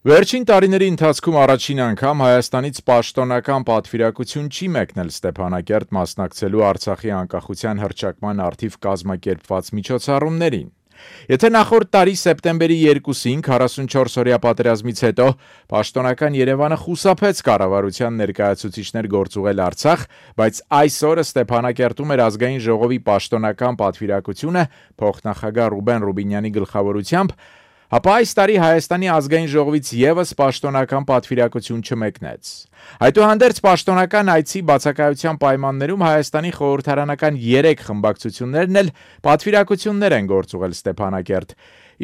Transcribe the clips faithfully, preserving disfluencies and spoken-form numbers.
Վերջին տարիների ընթացքում առաջին անգամ Հայաստանից պաշտոնական պատվիրակություն չի մեկնել Ստեփանակերտ մասնակցելու Արցախի անկախության հռչակման առթիվ կազմակերպված միջոցառումներին։ Եթե նախորդ տարի սեպտեմբերի երկուսին քառասունչորսօրյա պատերազմից հետո պաշտոնական Երևանը խուսափեց կառավարության ներկայացուցիչներ գործուղել Արցախ, բայց այսօր Ստեփանակերտում էր ազգային ժողովի պաշտոնական պատվիրակությունը փոխնախագահ Ռուբեն Ռուբինյանի գլխավորությամբ, ապա այս տարի Հայաստանի ազգային ժողովից ևս պաշտոնական պատվիրակություն չմեկնեց։ Այդուհանդերձ պաշտոնական այցի բացակայության պայմաններում Հայաստանի խորհրդարանական երեք խմբակցություններն էլ պատվիրակություններ են գործուղել Ստեփանակերտ։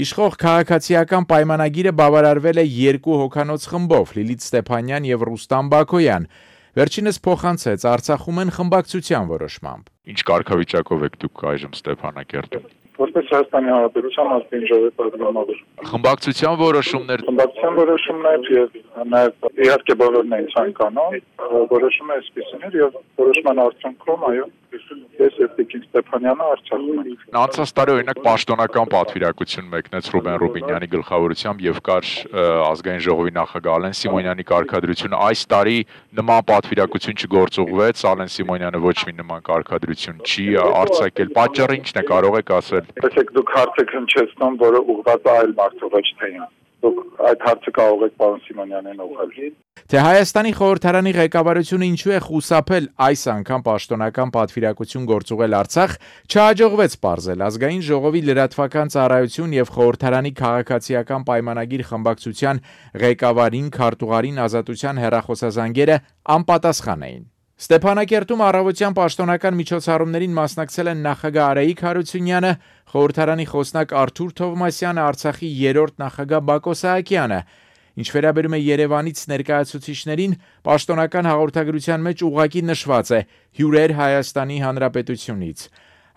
Իշխող քաղաքացիական պայմանագիրը բավարարվել է երկու հոգանոց խմբով՝ Լիլիթ Ստեփանյան եւ Ռուստամ Բաքոյան։ Վերջինս փոխանցեց Արցախում են խմբակցության որոշմամբ։ Ինչ կարգավիճակով եք դուք այժմ Ստեփանակերտում։ Որպես Հայաստանի Հանրապետության ազգային ժողովի պատգամավոր։ Խմբակցության որոշումներ Խմբակցության որոշումներ եւ նաեւ իհարկե բոլորն են ցանկանում, որոշումը այսպեսին էր եւ որոշման արդյունքում այո ես եւ Տիկին Ստեփանյանը Արցախում ենք։ Անցած տարի օրինակ պաշտոնական պատվիրակություն մեկնեց Ռուբեն Ռուբինյանի գլխավորությամբ եւ կար ազգային ժողովի նախագահ Ալեն Սիմոնյանի կարգադրությունը։ Այս տարի նման պատվիրակություն չգործուղվեց, Ալեն Սիմոնյանը ոչ մի նման կարգադրություն չի արձակել։ Պատճառը ի՞նչն է, կարող եք ասել։ Տեսեք, դուք հարց եք հնչեցնում, որը ուղղված է այլ մարդու, ոչ թե ինձ։ Դուք այդ հարցը կարող եք պարոն Սիմոնյանին ուղղել։ Թե Հայաստանի խորհրդարանի ղեկավարությունը ինչու է խուսափել այս անգամ պաշտոնական պատվիրակություն գործուղել Արցախ, չհաջողվեց պարզել ազգային ժողովի լրատվական ծառայություն եւ խորհրդարանի քաղաքացիական պայմանագիր խմբակցության ղեկավարին քարտուղարին ազատության հեռախոսազանգերը անպատասխան էին։ Ստեփանակերտում առավոտյան պաշտոնական միջոցառումներին մասնակցել են նախագահ Արայիկ Հարությունյանը, խորհրդարանի խոսնակ Արթուր Թովմասյանը, Արցախի երրորդ նախագահ Բակո Սահակյանը։ Ինչ վերաբերում է Երևանից ներկայացուցիչներին, պաշտոնական հաղորդագրության մեջ ուղղակի նշված է հյուրեր Հայաստանի Հանրապետությունից։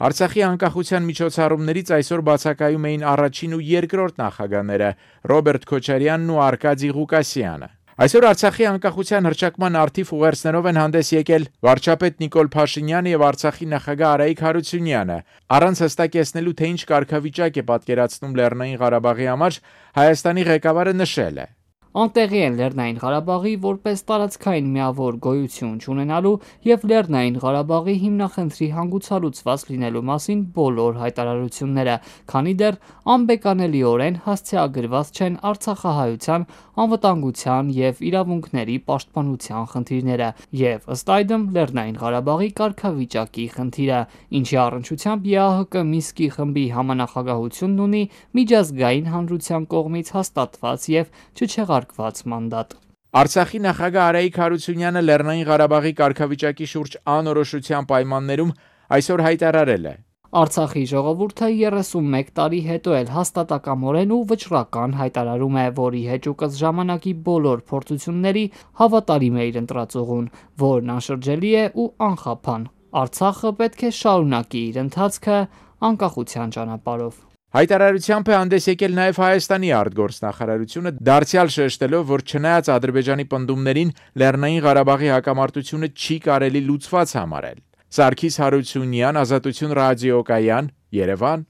Արցախի անկախության միջոցառումներից այսօր բացակայում էին առաջին ու երկրորդ նախագահները Ռոբերտ Քոչարյանն ու Արկադի Ղուկասյանը։ Այսօր Արցախի անկախության հռչակման առթիվ ուղերձներով են հանդես եկել վարչապետ Նիկոլ Փաշինյանը եւ Արցախի նախագահ Արայիկ Հարությունյանը։ Առանց հստակեցնելու, թե ինչ կարգավիճակ է պատկերացնում Լեռնային Ղարաբաղի համար, Հայաստանի ղեկավարը նշել է. Անտեղի են Լեռնային Ղարաբաղի որպես տարածքային միավոր գոյություն չունենալու եւ Լեռնային Ղարաբաղի հիմնախնդրի հանգուցալուծված լինելու մասին բոլոր հայտարարությունները, քանի դեռ անբեկանելիորեն հասցեագրված չեն Արցախահայության անվտանգության եւ իրավունքների պաշտպանության խնդիրները եւ ըստ այդմ Լեռնային Ղարաբաղի կարգավիճակի խնդիրը, ինչի առնչությամբ ԵԱՀԿ Մինսկի խմբի համանախագահությունն ունի միջազգային հանրության կողմից հաստատված եւ չչեղարկված մանդատ։ Արցախի նախագահ Արայիկ Հարությունյանը Լեռնային Ղարաբաղի կարգավիճակի շուրջ անորոշության պայմաններում այսօր հայտարարել է. Արցախի ժողովուրդը երեսունմեկ տարի հետո էլ հաստատակամորեն ու վճռական հայտարարում է, որի հեճուկս ժամանակի բոլոր փորձությունների հավատարիմ է իր ընտրածողուն, որն անշրջելի է ու անխափան։ Արցախը պետք է շարունակի իր ընթացքը անկախության ճանապարհով։ Հայտարարությամբ է հանդես եկել նաև Հայաստանի արտգործնախարարությունը, դարձյալ շեշտելով, որ չնայած Ադրբեջանի պնդումներին, Լեռնային Ղարաբաղի հակամարտությունը չի կարելի լուծված համարել։ Սարգիս Հարությունյան, Ազատություն ռադիոկայան, Երևան։